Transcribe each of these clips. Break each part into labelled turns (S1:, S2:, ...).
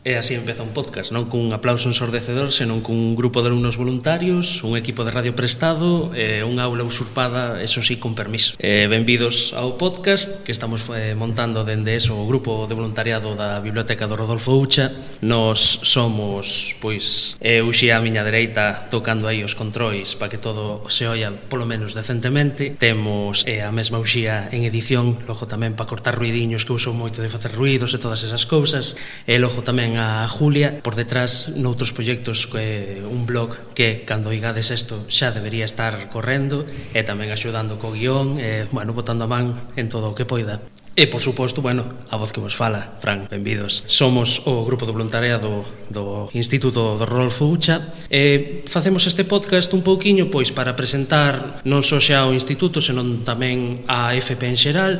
S1: E así empeza un podcast, non cun aplauso ensordecedor, senón cun grupo de alumnos voluntarios, un equipo de radio prestado e unha aula usurpada, eso sí, con permiso. Benvidos ao podcast que estamos montando dende o grupo de voluntariado da Biblioteca do Rodolfo Ucha. Nos somos, pois, Uxía a miña dereita tocando aí os controis para que todo se oia polo menos decentemente. Temos a mesma Uxía en edición, logo tamén para cortar ruidiños, que uso moito de facer ruidos e todas esas cousas, e logo tamén a Julia por detrás noutros proxectos, un blog que cando oigades isto xa debería estar correndo e tamén axudando co guión e, botando a man en todo o que poida. E, por suposto, a voz que vos fala, Fran, benvidos. Somos o grupo de voluntariado do Instituto do Rodolfo Ucha e facemos este podcast un pouquiño pois para presentar non só xa o Instituto, senón tamén a FP en xeral,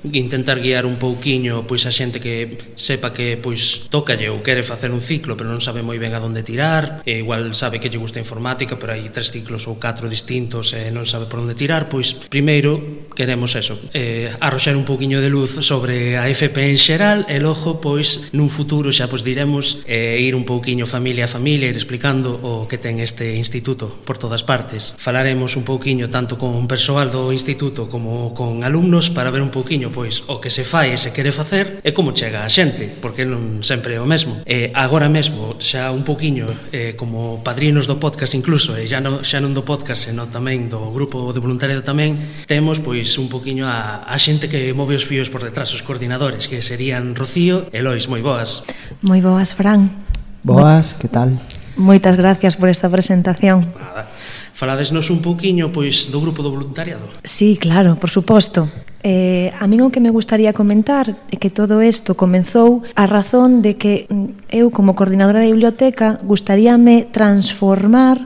S1: intentar guiar un pouquiño pois a xente que sepa que pois tócalle ou quere facer un ciclo pero non sabe moi ben a onde tirar, e igual sabe que lle gusta informática pero hai 3 ciclos ou 4 distintos e non sabe por onde tirar. Pois primeiro queremos arroxar un pouquiño de luz sobre a FP en xeral e logo pois nun futuro xa pois diremos ir un pouquiño familia a familia, ir explicando o que ten este instituto por todas partes. Falaremos un pouquiño tanto con persoal do instituto como con alumnos para ver un pouquiño pois o que se fai e se quere facer e como chega a xente, porque non sempre é o mesmo. Agora mesmo xa un pouquiño como padrinos do podcast incluso, e xa non do podcast senón tamén do grupo de voluntariado tamén, temos pois un pouquiño a xente que move os fíos por detrás, os coordinadores, que serían Rocío e Lois. Moi boas.
S2: Moi boas, Fran.
S3: Boas, que tal?
S2: Moitas gracias por esta presentación.
S1: Nada. Faladesnos un pouquiño pois do grupo do voluntariado.
S2: Sí, claro, por suposto. A min o que me gustaría comentar é que todo isto comenzou a razón de que eu, como coordinadora da biblioteca, gustaríame transformar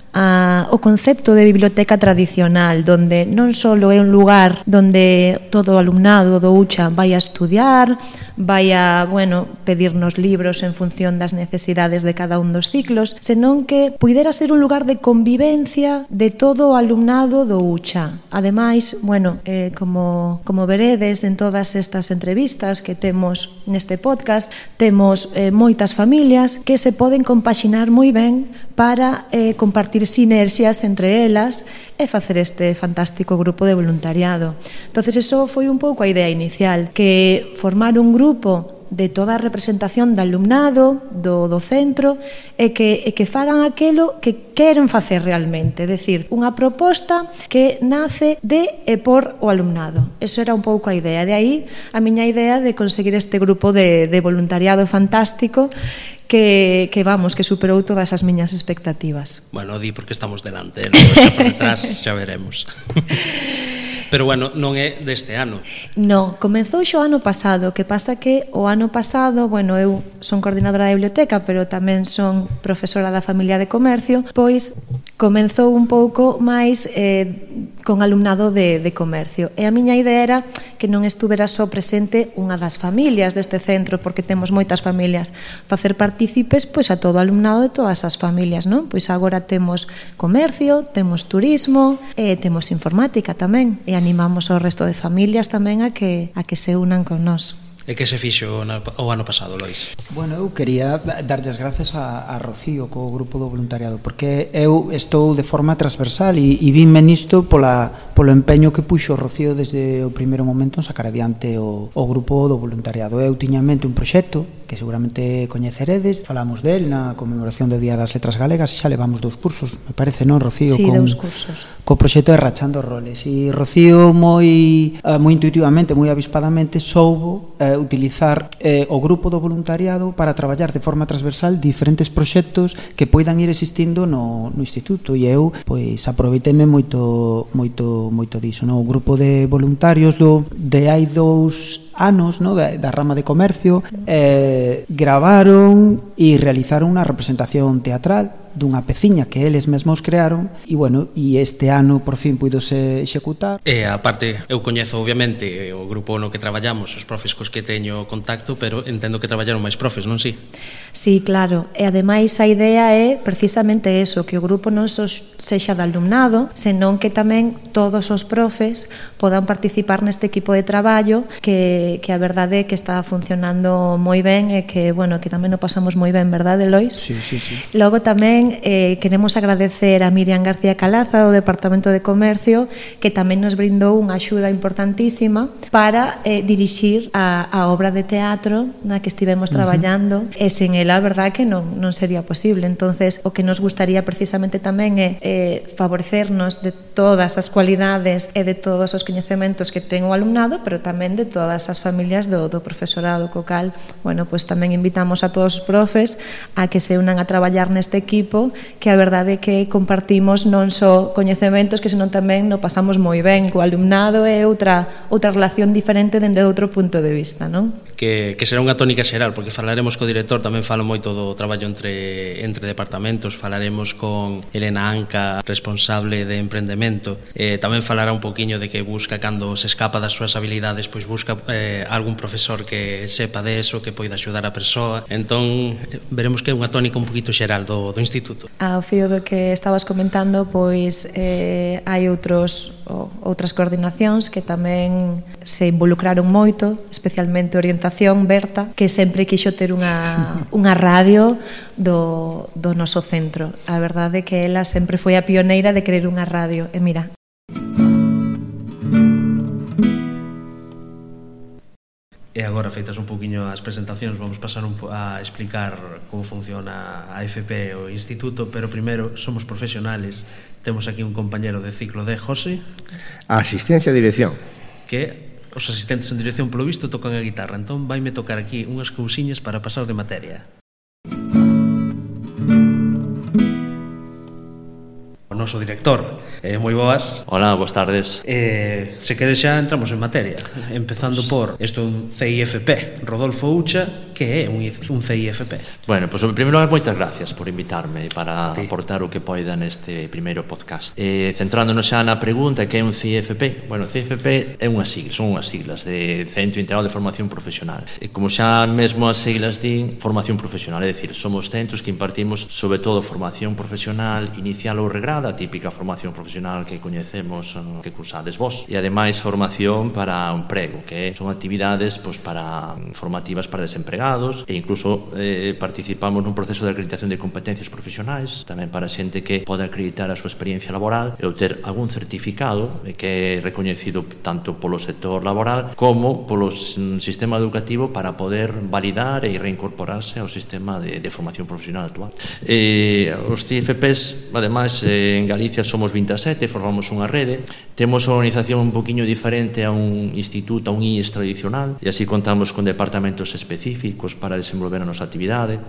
S2: o concepto de biblioteca tradicional, donde non só é un lugar donde todo o alumnado do UCHA vai a estudiar, vai a, pedirnos libros en función das necesidades de cada un dos ciclos, senón que puidera ser un lugar de convivencia de todo o alumnado do UCHA. Ademais, como veredes en todas estas entrevistas que temos neste podcast, temos moitas familias que se poden compaxinar moi ben para compartir sinerxias entre elas e facer este fantástico grupo de voluntariado. Entonces, eso foi un pouco a idea inicial, que formar un grupo de toda a representación do alumnado, do centro, e que fagan aquilo que queren facer realmente, é dicir, unha proposta que nace de e por o alumnado. Eso era un pouco a idea. De aí a miña idea de conseguir este grupo de voluntariado fantástico que superou todas as miñas expectativas.
S1: Di porque estamos delante, xa por detrás xa veremos. Pero non é deste ano.
S2: Non, comezou xo ano pasado, que pasa que o ano pasado, eu son coordinadora da biblioteca, pero tamén son profesora da familia de comercio, pois comenzou un pouco máis con alumnado de comercio. E a miña idea era que non estuvera só presente unha das familias deste centro, porque temos moitas familias, facer partícipes pois a todo o alumnado de todas as familias, non? Pois agora temos comercio, temos turismo, e temos informática tamén, e animamos ao resto de familias tamén a que se unan con nós.
S1: E que se fixo o ano pasado, Lois?
S3: Eu quería darlle as gracias a Rocío co grupo do voluntariado, porque eu estou de forma transversal e vinme nisto polo empeño que puxo Rocío desde o primeiro momento en sacar adiante o grupo do voluntariado. Eu tiña en mente un proxecto que seguramente coñeceredes, falamos del na conmemoración do Día das Letras Galegas e xa levamos 2 cursos, me parece, non, Rocío?
S2: Sí, 2 cursos.
S3: Co proxecto de Rachando Roles, e Rocío moi intuitivamente, moi avispadamente soubo utilizar o grupo do voluntariado para traballar de forma transversal diferentes proxectos que poidan ir existindo no instituto, e eu pois aproveiteme moito diso, no? O grupo de voluntarios de hai 2 anos, no? da rama de comercio, gravaron e realizaron unha representación teatral dunha peciña que eles mesmos crearon e, bueno, e este ano por fin puidose executar.
S1: E aparte, eu coñezo obviamente o grupo no que traballamos, os profes cos que teño contacto, pero entendo que traballaron máis profes, non si?
S2: Sí, claro, e ademais a idea é precisamente eso, que o grupo non só sexa de alumnado, senón que tamén todos os profes podan participar neste equipo de traballo que a verdade é que está funcionando moi ben e que, bueno, que tamén o pasamos moi ben, verdade, Lois?
S3: Sí, sí, sí.
S2: Logo tamén queremos agradecer a Miriam García Calaza do Departamento de Comercio, que tamén nos brindou unha axuda importantísima para dirixir a obra de teatro na que estivemos traballando, e sen ela, a verdade que non sería posible. Entonces, o que nos gustaría precisamente tamén é favorecernos de todas as cualidades e de todos os coñecementos que ten o alumnado, pero tamén de todas as familias do profesorado, co cal, bueno, pues tamén invitamos a todos os profes a que se unan a traballar neste equipo, que a verdade é que compartimos non só coñecementos, que senón tamén no pasamos moi ben co alumnado, e outra relación diferente dende outro punto de vista, non?
S1: Que será unha tónica xeral, porque falaremos co director, tamén falo moito do traballo entre departamentos, falaremos con Elena Anca, responsable de emprendemento, tamén falará un poquinho de que busca, cando se escapa das súas habilidades, pois busca algún profesor que sepa de eso, que poida axudar a persoa. Entón, veremos que é unha tónica un poquito xeral do instituto.
S2: Ao fío do que estabas comentando, pois hai outras coordinacións que tamén se involucraron moito, especialmente Orientación, Berta, que sempre quixo ter unha radio do noso centro. A verdade é que ela sempre foi a pioneira de querer unha radio, e mira.
S1: E agora, feitas un poquinho as presentacións, vamos pasar a explicar como funciona a FP e o instituto, pero primeiro, somos profesionales. Temos aquí un compañero de ciclo de José.
S4: A asistencia e dirección.
S1: Que os asistentes en dirección, polo visto, tocan a guitarra. Entón, vaime tocar aquí unhas cousiñas para pasar de materia. O noso director, moi boas.
S5: Hola, boas tardes.
S1: Se queres xa entramos en materia, empezando por isto, un CIFP, Rodolfo Ucha. Que é un CIFP?
S5: Bueno, pois, en primeiro lugar, moitas gracias por invitarme para aportar o que poida neste primeiro podcast. Centrándonos xa na pregunta, que é un CIFP? Bueno, CIFP é son unhas siglas de Centro Integrado de Formación Profesional. E como xa mesmo as siglas din, formación profesional, é dicir, somos centros que impartimos sobre todo formación profesional inicial ou regrada, a típica formación profesional que coñecemos, que cursades vos, e ademais formación para o emprego, que son actividades formativas para desempregados, e incluso participamos nun proceso de acreditación de competencias profesionais, tamén para xente que pode acreditar a súa experiencia laboral e obter algún certificado que é recoñecido tanto polo sector laboral como polo sistema educativo para poder validar e reincorporarse ao sistema de formación profesional actual. Os CIFPs, ademais, en Galicia somos 27, formamos unha rede, temos unha organización un poquinho diferente a un instituto, a un IES tradicional, e así contamos con departamentos específicos para desenvolver a nosa actividade.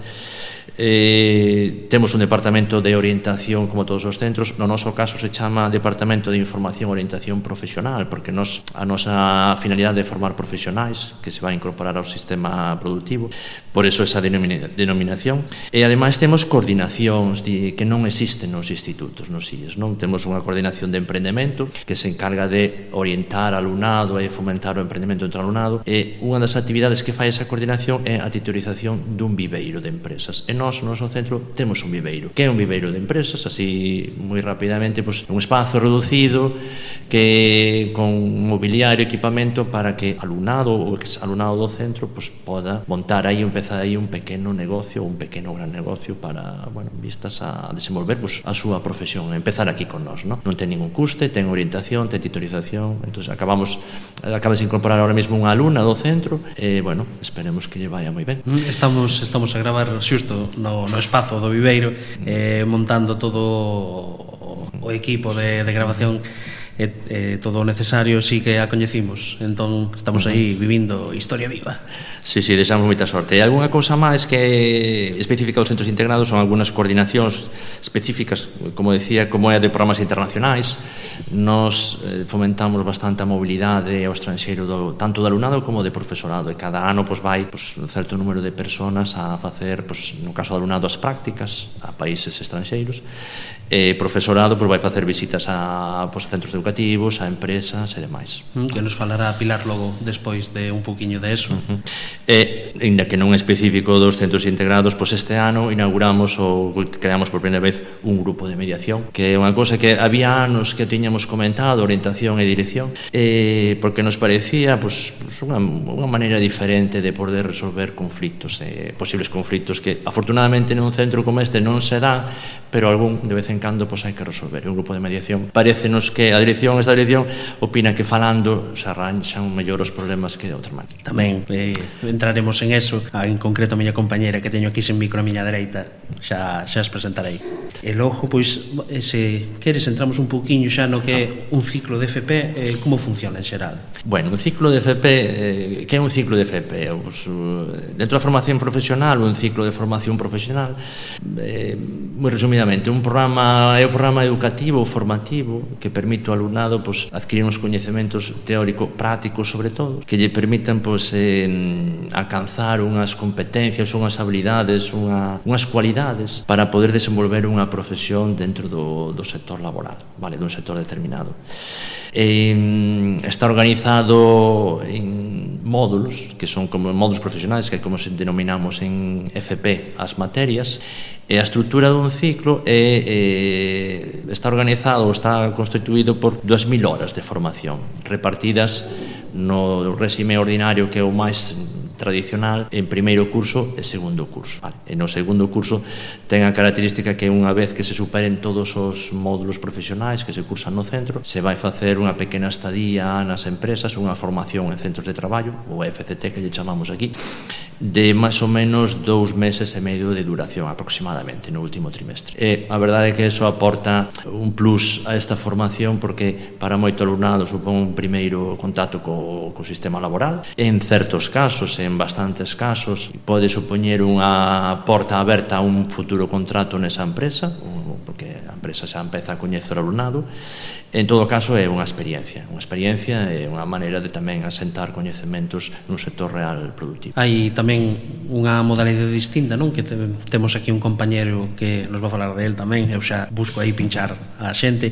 S5: Temos un departamento de orientación como todos os centros. No noso caso se chama Departamento de Información e Orientación Profesional, porque a nosa finalidade é formar profesionais que se vai incorporar ao sistema productivo, por eso esa denominación. E ademais temos coordinacións que non existen nos institutos, nos IES, non? Temos unha coordinación de emprendemento que se encarga de orientar ao alumnado e fomentar o emprendemento entre o alumnado, e unha das actividades que fai esa coordinación é a titorización dun viveiro de empresas. E nós, no noso centro, temos un viveiro. Que é un viveiro de empresas? Así, moi rapidamente, un espazo reducido que con mobiliario e equipamento para que alumnado ou exalumnado do centro poda montar aí, empezar aí un pequeno negocio, un pequeno gran negocio para, vistas a desenvolver a súa profesión, empezar aquí con nós, non ten ningún custe, ten orientación, ten titorización. Entón, acabas de incorporar ahora mesmo unha alumna do centro e, esperemos que lle vaya moi ben.
S1: Estamos a gravar xusto no espazo do viveiro, montando todo o equipo de grabación. todo o necesario sí que a coñecimos. Entón, estamos aí vivindo historia viva.
S5: Sí, desamos moita sorte. E algunha cousa máis que específica dos centros integrados son algunhas coordinacións específicas, como decía, como é a de programas internacionais. Nos fomentamos bastante a mobilidade ao estranxeiro tanto do alumnado como de profesorado, e cada ano vai un certo número de personas a facer, no caso do alumnado, as prácticas a países estranxeiros, e profesorado vai facer visitas a centros educativos, a empresas e demais.
S1: Que nos falará Pilar logo despois de un poquinho de eso.
S5: E, ainda que non é específico dos centros integrados, este ano inauguramos ou creamos por primeira vez un grupo de mediación, que é unha cosa que había anos que tiñamos comentado, orientación e dirección, porque nos parecía unha maneira diferente de poder resolver conflitos, posibles conflitos que afortunadamente nun centro como este non se dan, pero algún de vez en cando hai que resolver. Un grupo de mediación, parécenos que esta dirección opina que falando se arranxan mellor os problemas que de outra maneira.
S1: Tamén entraremos en eso, en concreto a miña compañera que teño aquí sen micro a miña dereita, xa as presentarei. E logo, se queres, entramos un pouquiño xa no que é un ciclo de FP, como funciona en xeral?
S5: Bueno, un ciclo de FP, que é un ciclo de FP? Dentro da formación profesional, un ciclo de formación profesional, moi resumidamente, é un programa educativo ou formativo que permite ao alumnado adquirir uns coñecementos teóricos prácticos, sobre todo, que lle permitan alcanzar unhas competencias, unhas habilidades, unhas cualidades para poder desenvolver unha profesión dentro do sector laboral, dun sector determinado. Está organizado en módulos, que son como módulos profesionais, que é como se denominamos en FP as materias, e a estrutura dun ciclo está organizado ou está constituído por 2.000 horas de formación, repartidas no réxime ordinario, que é o máis tradicional, en primeiro curso e segundo curso. E no segundo curso ten a característica que unha vez que se superen todos os módulos profesionais que se cursan no centro, se vai facer unha pequena estadía nas empresas, unha formación en centros de traballo, o FCT que lle chamamos aquí, de máis ou menos 2 meses e medio de duración aproximadamente no último trimestre. E a verdade é que eso aporta un plus a esta formación, porque para moito alumnado supón un primeiro contacto co sistema laboral. En certos casos, en bastantes casos, pode supoñer unha porta aberta a un futuro contrato nesa empresa, porque a empresa xa empeza a coñecer o alumnado. En todo caso, é unha experiencia e unha maneira de tamén asentar coñecementos nun sector real productivo.
S1: Hai tamén unha modalidade distinta, non? Que temos aquí un compañero que nos va a falar de él tamén, eu xa busco aí pinchar a xente,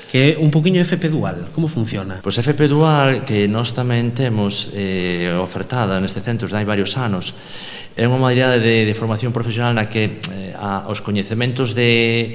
S1: que é un poquinho FP Dual. Como funciona?
S5: Pois FP Dual, que nós tamén temos ofertada neste centro hai varios anos, é unha modalidade de formación profesional na que os coñecementos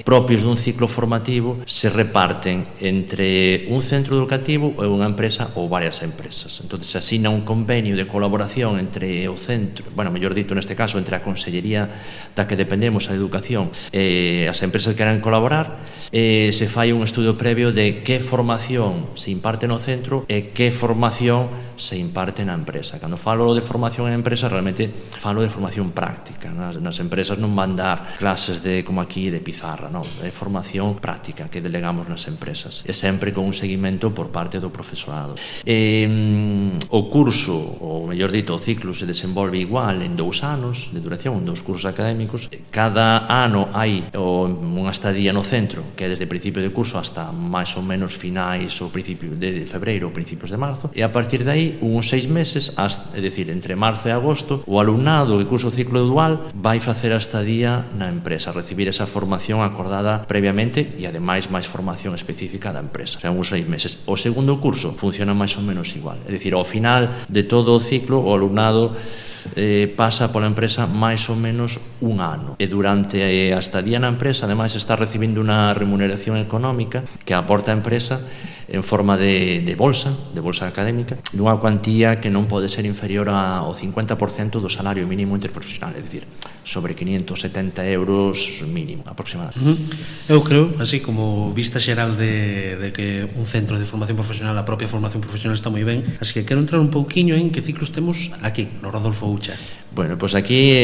S5: propios dun ciclo formativo se reparten entre un centro educativo e unha empresa ou varias empresas. Entón, se asina un convenio de colaboración entre o centro, mellor dito neste caso, entre a Consellería da que dependemos, a Educación, e as empresas que queran colaborar, se fai un estudo previo de que formación se imparte no centro e que formación se imparte na empresa. Cando falo de formación en empresa, realmente falo de formación práctica. Nas empresas non van dar clases como aquí de pizarra, non, é formación práctica que delegamos nas empresas, e sempre con un seguimento por parte do profesorado. O curso, ou mellor dito, o ciclo se desenvolve igual en 2 anos de duración, 2 cursos académicos. Cada ano hai unha estadía no centro, que é desde principio de curso hasta máis ou menos finais ou principio de febreiro ou principios de marzo, e a partir de aí uns 6 meses, é dicir, entre marzo e agosto, o alumnado que cursa o ciclo dual vai facer a estadía na empresa, recibir esa formación acordada previamente e ademais máis formación específica da empresa, uns 6 meses. O segundo curso funciona máis ou menos igual, é dicir, ao final de todo o ciclo o alumnado pasa pola empresa máis ou menos un ano, e durante a estadía na empresa ademais está recibindo unha remuneración económica que aporta a empresa en forma de bolsa académica, dunha cuantía que non pode ser inferior ao 50% do salario mínimo interprofesional, é dicir, sobre 570 euros mínimo, aproximadamente.
S1: Eu creo, así como vista xeral de que un centro de formación profesional, a propia formación profesional está moi ben, así que quero entrar un pouquiño en que ciclos temos aquí, no Rodolfo Ucha.
S5: Bueno, pois aquí,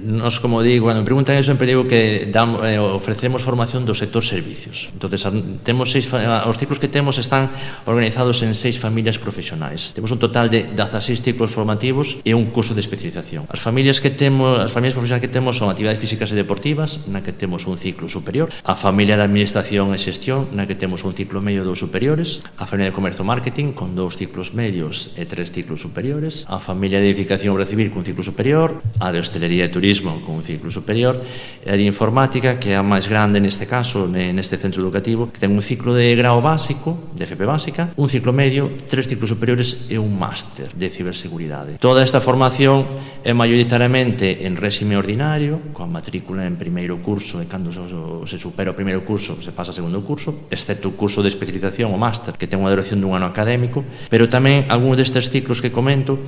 S5: nos, como digo, cando me preguntan eso, sempre digo que ofrecemos formación do sector servicios. Entonces, temos os ciclos que temos temos están organizados en 6 familias profesionais. Temos un total de 16 ciclos formativos e un curso de especialización. As familias profesionais que temos son actividades físicas e deportivas, na que temos un ciclo superior, a familia de administración e xestión, na que temos un ciclo medio e 2 superiores, a familia de comercio e marketing con 2 ciclos medios e 3 ciclos superiores, a familia de edificación e obra civil con un ciclo superior, a de hostelería e turismo con un ciclo superior, e a de informática, que é a máis grande neste caso, neste centro educativo, que ten un ciclo de grao básico, de FP básica, un ciclo medio, 3 ciclos superiores e un máster de ciberseguridade. Toda esta formación é maioritariamente en réxime ordinario, coa matrícula en primeiro curso, e cando se supera o primeiro curso se pasa ao segundo curso, excepto o curso de especialización, o máster, que ten unha duración dun ano académico, pero tamén algúns destes ciclos que comento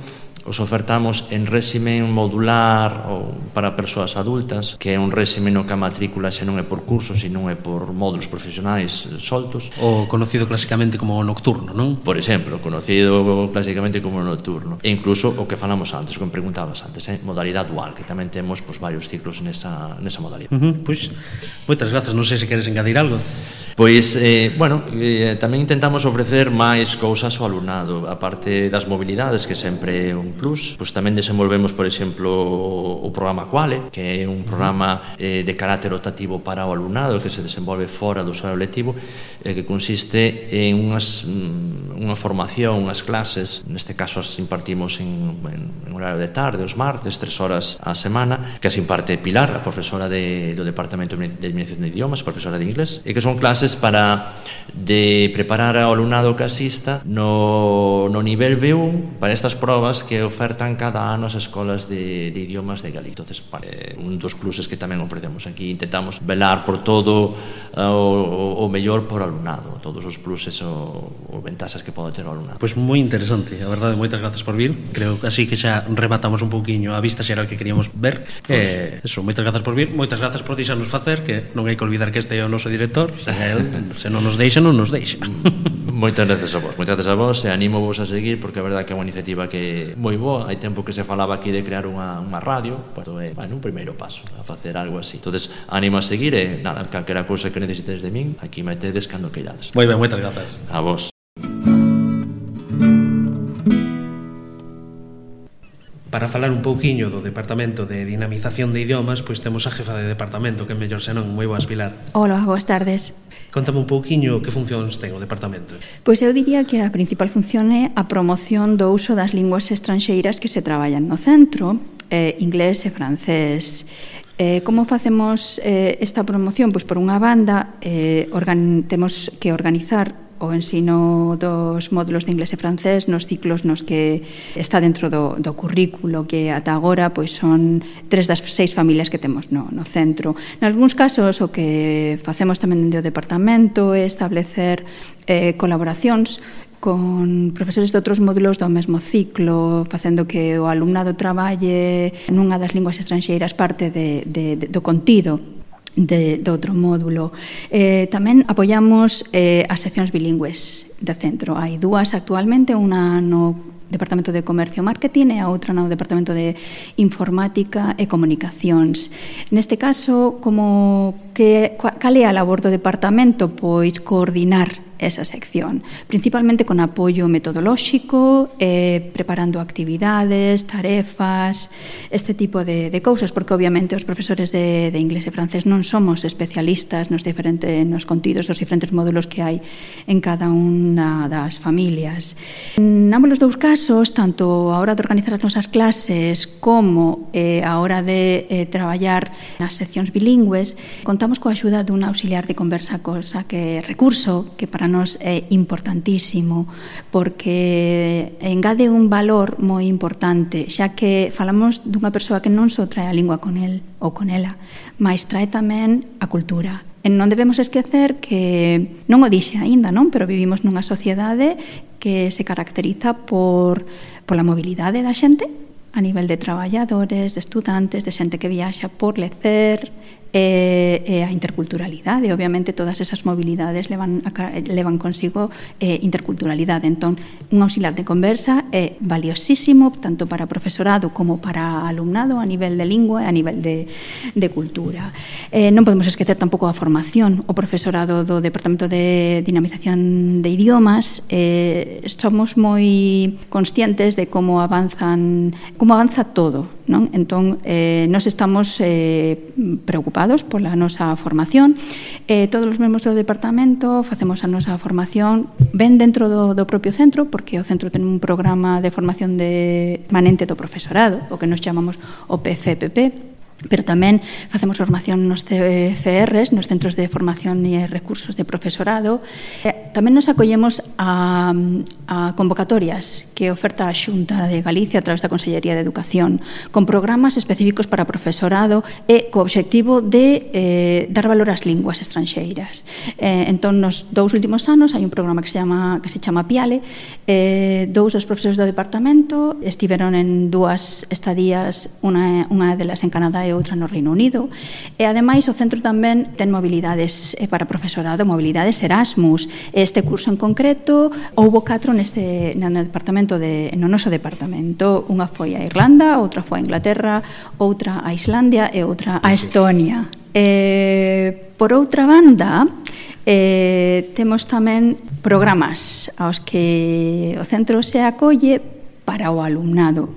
S5: os ofertamos en réxime modular ou para persoas adultas, que é un réxime no que a matrícula xa non é por cursos, sino é por módulos profesionais soltos.
S1: O conocido clásicamente como nocturno, non?
S5: Por exemplo, conocido clásicamente como nocturno. E incluso o que falamos antes, como preguntabas antes, modalidade dual, que tamén temos varios ciclos nesa modalidade.
S1: Pois, moitas grazas. Non sei se queres engadir algo.
S5: Pois, tamén intentamos ofrecer máis cousas ao alumnado, a parte das mobilidades, que sempre é un plus. Pois tamén desenvolvemos, por exemplo, o programa Quale, que é un programa de carácter optativo para o alumnado, que se desenvolve fora do horario lectivo, que consiste en unha formación, unhas clases, neste caso as impartimos en horario de tarde, os martes, 3 horas á semana, que as imparte Pilar, a profesora do Departamento de Administración de Idiomas, profesora de inglés, e que son clases para preparar ao alumnado que asista no nivel B1 para estas probas que ofertan cada ano as escolas de idiomas de Galicia. Entonces, un dos pluses que tamén ofrecemos aquí, intentamos velar por todo o mellor por alumnado, todos os pluses ou ventaxas que pode ter o alumnado.
S1: Pois moi interesante, a verdade, moitas grazas por vir. Creo que así que xa rematamos un pouquiño a vista xeral que queríamos ver. Moitas grazas por vir, moitas grazas por deixarnos facer, que non hai que olvidar que este é o noso director, se non nos deixa, non nos deixa.
S5: Moitas grazas a vos, e animo vos a seguir, porque a verdade que é unha iniciativa que é moi boa. Hai tempo que se falaba aquí de crear unha radio, pero é un primeiro paso a facer algo así. Entonces, animo a seguir, e nada, calquera cousa que necesites de min, aquí metedes cando queirades.
S1: Moi ben, moitas grazas.
S5: A vos.
S1: Para falar un pouquiño do Departamento de Dinamización de Idiomas, pois temos a jefa de departamento, que é mellor senón. Moi boas, Pilar.
S6: Hola, boas tardes.
S1: Contame un pouquiño que funcións ten o departamento.
S6: Pois eu diría que a principal función é a promoción do uso das linguas estranxeiras que se traballan no centro, inglés e francés. Como facemos esta promoción? Pois por unha banda, temos que organizar o ensino dos módulos de inglés e francés nos ciclos nos que está dentro do currículo, que ata agora pois son 3 das 6 familias que temos no centro. Nalgúns casos o que facemos tamén dentro do departamento é establecer colaboracións con profesores de outros módulos do mesmo ciclo, facendo que o alumnado traballe nunha das linguas estranxeiras parte do contido do outro módulo. Tamén apoiamos as seccións bilingües do centro. Hai 2 actualmente, unha no Departamento de Comercio e Marketing e a outra no Departamento de Informática e Comunicacións. Neste caso, cal é a labor do departamento? Pois coordinar esa sección, principalmente con apoio metodolóxico, preparando actividades, tarefas, este tipo de cousas, porque obviamente os profesores de inglés e francés non somos especialistas nos contidos dos diferentes módulos que hai en cada unha das familias. En ambos os 2 casos, tanto a hora de organizar as nosas clases como a hora de traballar nas seccións bilingües, contamos coa axuda dun auxiliar de conversa, cosa que recurso que para nos é importantísimo, porque engade un valor moi importante, xa que falamos dunha persoa que non só trae a lingua con el ou con ela, mas trae tamén a cultura. E non debemos esquecer que, non o dixe aínda, non? Pero vivimos nunha sociedade que se caracteriza pola mobilidade da xente a nivel de traballadores, de estudantes, de xente que viaxa por lecer, e a interculturalidade. Obviamente, todas esas mobilidades levan consigo interculturalidade. Entón, un auxiliar de conversa é valiosísimo tanto para profesorado como para alumnado a nivel de lingua e a nivel de cultura. Non podemos esquecer tampouco a formación. O profesorado do Departamento de Dinamización de Idiomas somos moi conscientes de como avanza todo, non? Entón, nós estamos preocupados pola nosa formación. Todos os membros do departamento facemos a nosa formación ben dentro do propio centro, porque o centro ten un programa de formación permanente do profesorado, o que nos chamamos o PFPP, pero tamén facemos formación nos CFRs, nos Centros de Formación e Recursos de Profesorado. Tamén nos acollemos a convocatorias que oferta a Xunta de Galicia a través da Consellería de Educación, con programas específicos para profesorado e co obxectivo de dar valor ás linguas estranxeiras. Entón, nos 2 últimos anos hai un programa que se chama PIALE. 2 dos profesores do departamento estiveron en 2 estadías, unha delas en Canadá e outra no Reino Unido, e ademais o centro tamén ten mobilidades para profesorado, mobilidades Erasmus. Este curso en concreto houbo 4 no noso departamento. Unha foi a Irlanda, outra foi a Inglaterra, outra a Islandia e outra a Estonia. Por outra banda, temos tamén programas aos que o centro se acolle para o alumnado.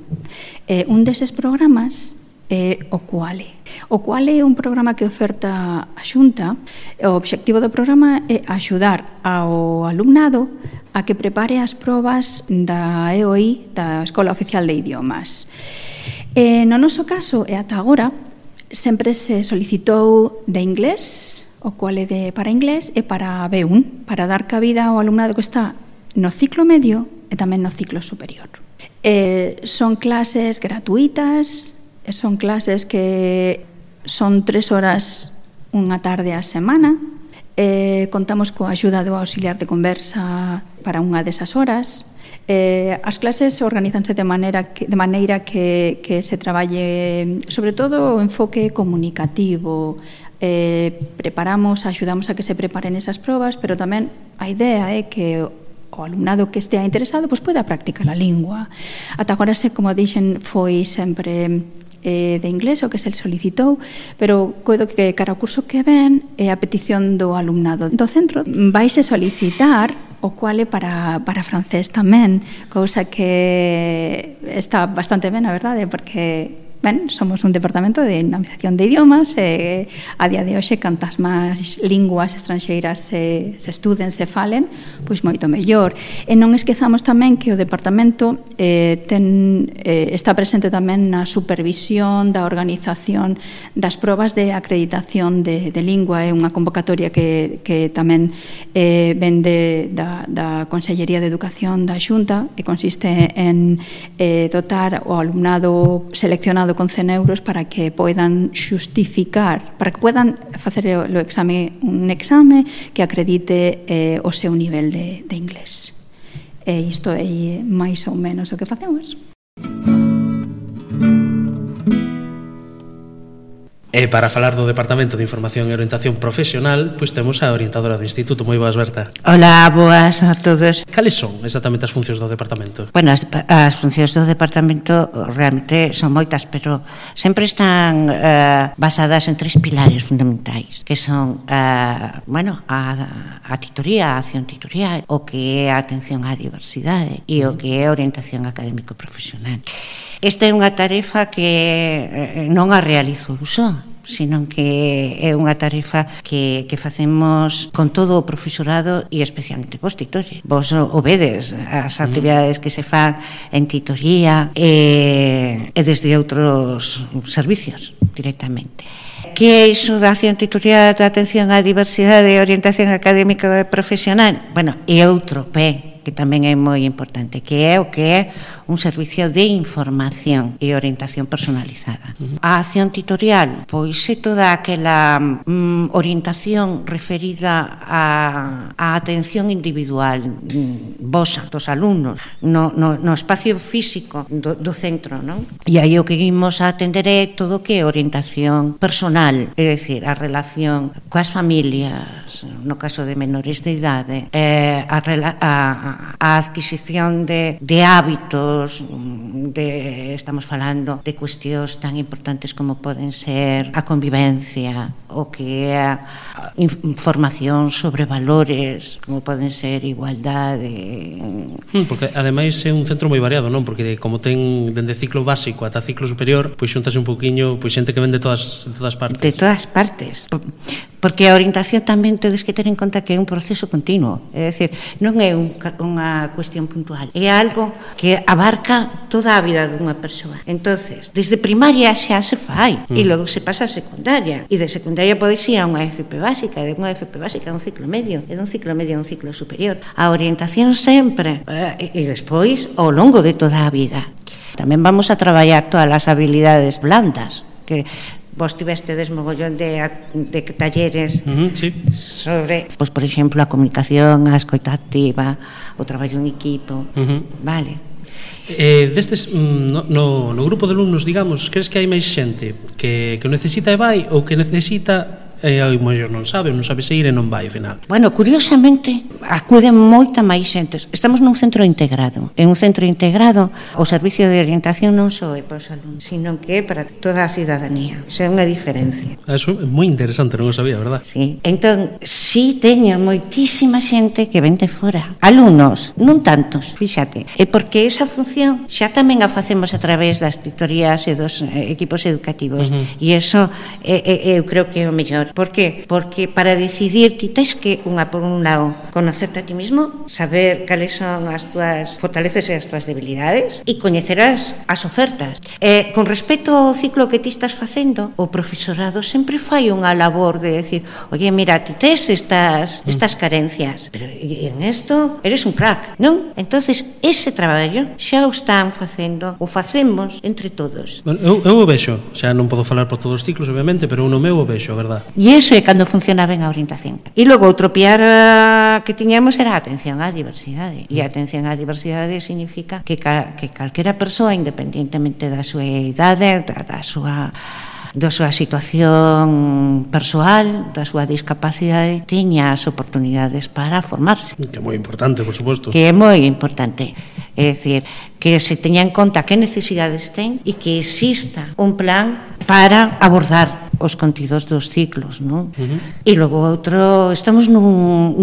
S6: Un deses programas é o Cuale. O Cuale é un programa que oferta a Xunta. O obxectivo do programa é axudar ao alumnado a que prepare as probas da EOI, da Escola Oficial de Idiomas. No noso caso, e ata agora, sempre se solicitou de inglés, o Cuale para inglés e para B1, para dar cabida ao alumnado que está no ciclo medio e tamén no ciclo superior. Son clases gratuitas, son clases que son 3 horas unha tarde a semana. Contamos coa axuda do auxiliar de conversa para unha desas horas. As clases organizanse de maneira que se traballe sobre todo o enfoque comunicativo. Axudamos a que se preparen esas probas, pero tamén a idea é que o alumnado que estea interesado poida practicar a lingua. Ata agora, como dixen, foi sempre de inglés o que se solicitou, pero coido que cara ao curso que ven é a petición do alumnado do centro. Vaise solicitar o Cuale para francés tamén, cousa que está bastante ben, a verdade, porque somos un departamento de dinamización de idiomas e a día de hoxe cantas máis linguas estranxeiras se estuden, se falen, pois moito mellor. E non esquezamos tamén que o departamento está presente tamén na supervisión da organización das probas de acreditación de lingua. É unha convocatoria que tamén ven da Consellería de Educación da Xunta, e consiste en dotar o alumnado seleccionado con 100 euros para que poidan xustificar, para que poidan facer un exame que acredite o seu nivel de inglés. E isto é máis ou menos o que facemos.
S1: E para falar do Departamento de Información e Orientación Profesional, pois temos a orientadora do Instituto. Moi boas, Berta.
S7: Hola, boas a todos.
S1: Cales son exactamente as funcións do Departamento?
S7: Bueno, as funcións do Departamento realmente son moitas, pero sempre están basadas en 3 pilares fundamentais, que son a titoría, a acción titorial, o que é a atención á diversidade e o que é a orientación académico-profesional. Esta é unha tarefa que non a realizo eu só, sino que é unha tarefa que facemos con todo o profesorado e especialmente cos titores. Vos o vedes as actividades que se fan en titoría e desde outros servicios directamente. Que é iso da acción titorial, da atención á diversidade e orientación académica e profesional? Bueno, é outro P que tamén é moi importante, que é un servicio de información e orientación personalizada. A acción tutorial, pois é toda aquela orientación referida á atención individual vosa, dos alumnos, no espacio físico do centro, non? E aí o que imos a atender é todo o que é orientación personal, é dicir, a relación coas familias, no caso de menores de idade, a adquisición de hábitos, estamos falando de cuestións tan importantes como poden ser a convivencia, o que é a información sobre valores, como poden ser igualdade.
S1: Porque ademais é un centro moi variado, non? Porque como ten dende ciclo básico ata ciclo superior, pois xuntase un poquinho xente que ven de todas partes.
S7: De todas partes. Porque a orientación tamén tedes que ter en conta que é un proceso continuo, é dicir, non é unha cuestión puntual, é algo que abarca toda a vida dunha persoa. Entonces, desde primaria xa se fai e logo se pasa a secundaria, e de secundaria podes ir a unha FP básica, de unha FP básica a un ciclo medio, e dun ciclo medio a un ciclo superior. A orientación sempre, e despois ao longo de toda a vida. Tamén vamos a traballar todas as habilidades blandas, que vos tivestedes mogollón de talleres sobre, pois, por exemplo, a comunicación, a escoita activa, o traballo en equipo, vale.
S1: Destes, no grupo de alumnos, digamos, crees que hai máis xente que necesita e vai, ou que necesita e ao mellor non sabe se ir e non vai ao final?
S7: Bueno, curiosamente acuden moita máis xentes. Estamos nun centro integrado. En un centro integrado o servicio de orientación non só é para os alumnos, sino que é para toda a cidadanía. Isso é unha diferencia.
S1: Eso é moi interesante, non o sabía, verdad?
S7: Sí. Entón, sí teño moitísima xente que ven de fora. Alumnos, non tantos, fíxate. É porque esa función xa tamén a facemos a través das tutorías e dos equipos educativos. E iso eu creo que é o mellor. Por qué? Porque para decidir ti tens que, por un lado, conocerte a ti mismo, saber cales son as túas fortalezas e as túas debilidades e coñecerás as ofertas. Con respecto ao ciclo que ti estás facendo, o profesorado sempre fai unha labor de decir, oye, mira, ti tes estas carencias, pero en esto eres un crack, non? Entonces, ese traballo xa o están facendo, o facemos entre todos.
S1: Bueno, eu o vexo, xa non podo falar por todos os ciclos, obviamente, pero no meu o vexo, a verdad.
S7: E iso é cando funciona ben a orientación. E logo outro piar que tiñamos era a atención á diversidade. E a atención á diversidade significa que calquera persoa, independentemente da súa idade, da súa situación persoal, da súa discapacidade, teña as oportunidades para formarse.
S1: Que é moi importante, por suposto.
S7: Que é moi importante. É dicir, que se teña en conta que necesidades ten e que exista un plan para abordar os contidos dos ciclos, non? E logo outro, estamos nun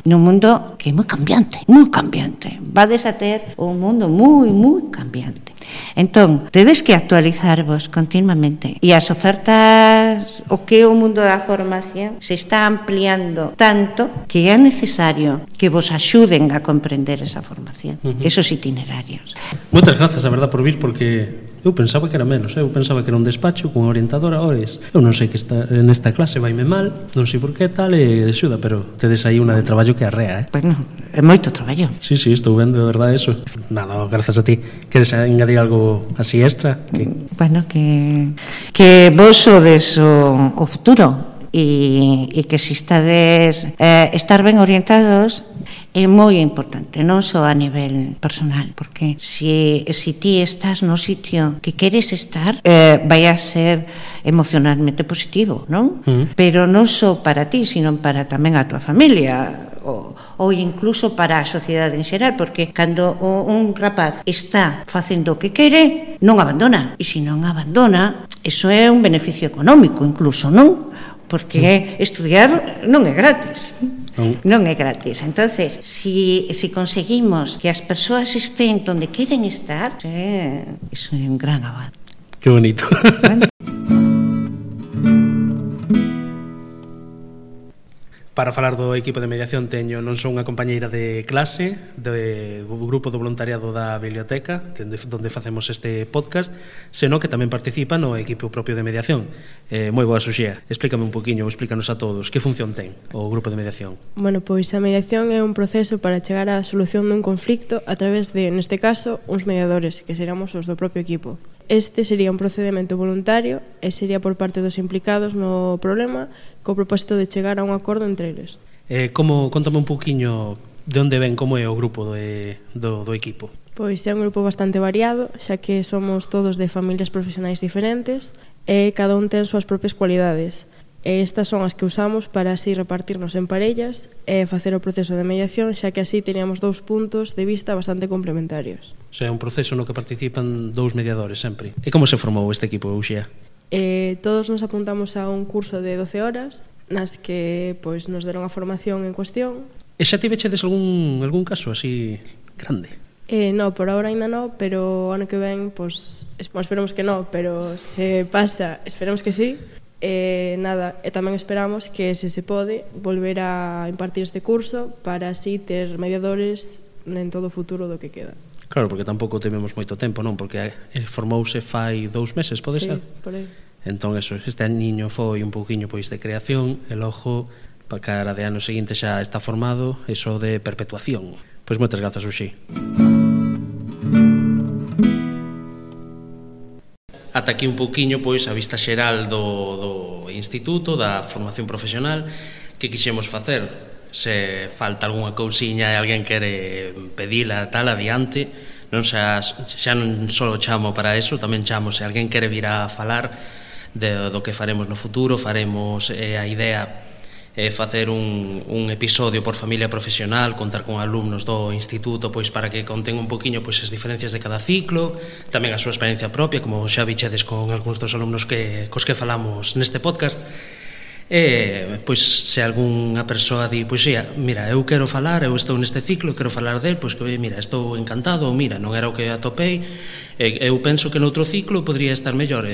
S7: mundo que é moi cambiante, moi cambiante. Vades a ter un mundo moi cambiante. Entón, tedes que actualizarvos continuamente. E as ofertas, o que é o mundo da formación, se está ampliando tanto que é necesario que vos axuden a comprender esa formación, esos itinerarios.
S1: Moitas grazas, a verdad, por vir, porque eu pensaba que era menos, eu pensaba que era un despacho con orientadora, ores, eu non sei que nesta clase vaime mal, non sei por que tal, e de xuda, pero tedes aí unha de traballo que arrea,
S7: Bueno, é moito traballo.
S1: Sí, estou vendo, de verdade, eso. Nada, grazas a ti. Queres engadir algo así extra?
S7: Bueno, que vos sodes o futuro e que se estades estar ben orientados é moi importante, non só a nivel personal, porque se ti estás no sitio que queres estar, vai a ser emocionalmente positivo, non? Pero non só para ti, sino para tamén a tua familia, ou incluso para a sociedade en xeral, porque cando un rapaz está facendo o que quere, non abandona, e se non abandona, iso é un beneficio económico incluso, non? Porque estudiar non é gratis. Non é gratis. Entonces, si conseguimos que as persoas estén onde queren estar, iso é un gran avance.
S1: Que bonito. Para falar do equipo de mediación teño non só unha compañeira de clase do grupo do voluntariado da biblioteca onde facemos este podcast, senón que tamén participa no equipo propio de mediación. Moi boa, Suxía, explícame un poquinho, explícanos a todos que función ten o grupo de mediación.
S8: Bueno, pois a mediación é un proceso para chegar á solución dun conflicto a través de, neste caso, uns mediadores, que seríamos os do propio equipo. Este sería un procedimento voluntario e sería por parte dos implicados no problema co propósito de chegar a un acordo entre eles.
S1: Contame un poquinho de onde ven, como é o grupo do equipo.
S8: Pois é un grupo bastante variado, xa que somos todos de familias profesionais diferentes e cada un ten súas propias cualidades. E estas son as que usamos para así repartirnos en parellas e facer o proceso de mediación, xa que así teníamos dous puntos de vista bastante complementarios.
S1: O sea, é un proceso no que participan dous mediadores sempre. E como se formou este equipo, Uxía?
S8: Todos nos apuntamos a un curso de 12 horas nas que pois nos deron a formación en cuestión.
S1: E xa tivechedes algún caso así grande?
S8: No, por ahora ainda non, pero o ano que ven, pois, esperamos que non, pero se pasa, esperamos que sí. E tamén esperamos que, se pode, volver a impartir este curso para así ter mediadores en todo o futuro do que queda.
S1: Claro, porque tampouco tivemos moito tempo, non? Porque formouse fai 2 meses, pode ser?
S8: Sí, por aí.
S1: Entón, este aniño foi un pouquiño pois de creación e logo, para cara de ano seguinte xa está formado, eso de perpetuación. Pois moitas grazas, Uxí. Ata aquí un pouquiño pois a vista xeral do instituto, da formación profesional que quixemos facer. Se falta algunha cousiña e alguén quere pedila tal adiante, non xa non só chamo para eso, tamén chamo se alguén quere vir a falar do que faremos no futuro. Faremos a idea facer un episodio por familia profesional, contar con alumnos do instituto pois para que conten un poquinho pois as diferencias de cada ciclo, tamén a súa experiencia propia, como xa bichedes con algúns dos alumnos cos que falamos neste podcast. Pois se algunha persoa di, pois mira, eu quero falar, eu estou neste ciclo, quero falar del, pois que mira, estou encantado, ou mira, non era o que atopei, eu penso que noutro ciclo podría estar mellor.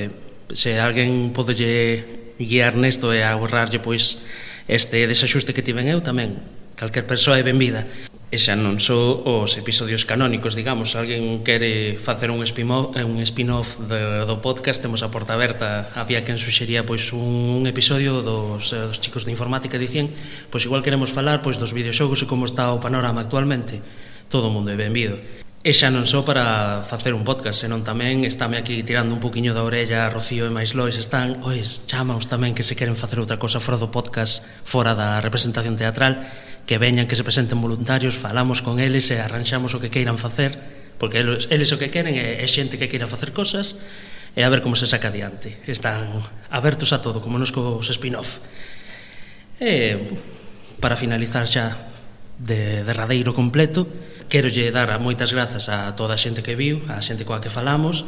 S1: Se alguén podelle guiar nesto e ahorrarlle pois este desaxuste que tiven eu, tamén calquer persoa é benvida. E xa non só os episodios canónicos, digamos, se alguén quere facer un spin-off do podcast, temos a porta aberta. Había quen suxería pois un episodio dos chicos de informática, dicían, pois igual queremos falar pois dos videoxogos e como está o panorama actualmente. Todo o mundo é benvido. E xa non só para facer un podcast, senón tamén estame aquí tirando un poquinho da orella a Rocío e máis Lois, están, chamaos tamén que se queren facer outra cosa fora do podcast, fora da representación teatral, que veñan, que se presenten voluntarios, falamos con eles e arranxamos o que queiran facer, porque eles o que queren é xente que queira facer cosas e a ver como se saca adiante. Están abertos a todo, como nos cos spin-off. E para finalizar xa de derradeiro completo, querolle dar moitas grazas a toda a xente que viu, a xente coa que falamos,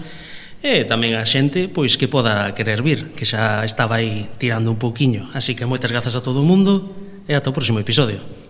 S1: e tamén a xente pois que poda querer vir, que xa estaba aí tirando un pouquiño. Así que moitas grazas a todo o mundo e ata o próximo episodio.